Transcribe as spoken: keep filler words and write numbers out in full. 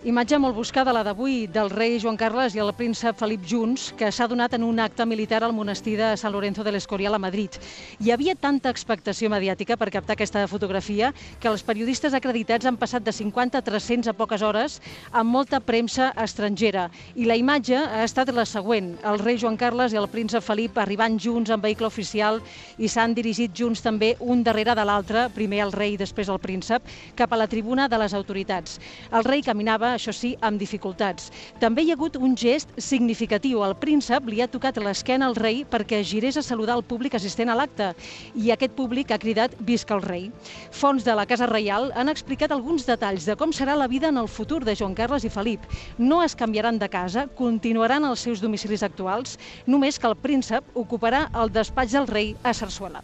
Imatge molt buscada, la d'avui, del rei Joan Carles i el príncep Felip junts, que s'ha donat en un acte militar al monestir de San Lorenzo del Escorial a Madrid. Hi havia tanta expectació mediàtica per captar aquesta fotografia que els periodistes acreditats han passat de cinquanta a tres-cents a poques hores amb molta premsa estrangera. I la imatge ha estat la següent. El rei Joan Carles i el príncep Felip arribant junts en vehicle oficial i s'han dirigit junts també un darrere de l'altre, primer el rei i després el príncep, cap a la tribuna de les autoritats. El rei caminava, això sí, amb dificultats. També hi ha hagut un gest significatiu. El príncep li ha tocat l'esquena al rei perquè girés a saludar el públic assistent a l'acte i aquest públic ha cridat «Visca el rei». Fonts de la Casa Reial han explicat alguns detalls de com serà la vida en el futur de Joan Carles i Felip. No es canviaran de casa, continuaran als seus domicilis actuals, només que el príncep ocuparà el despatx del rei a Sarsuela.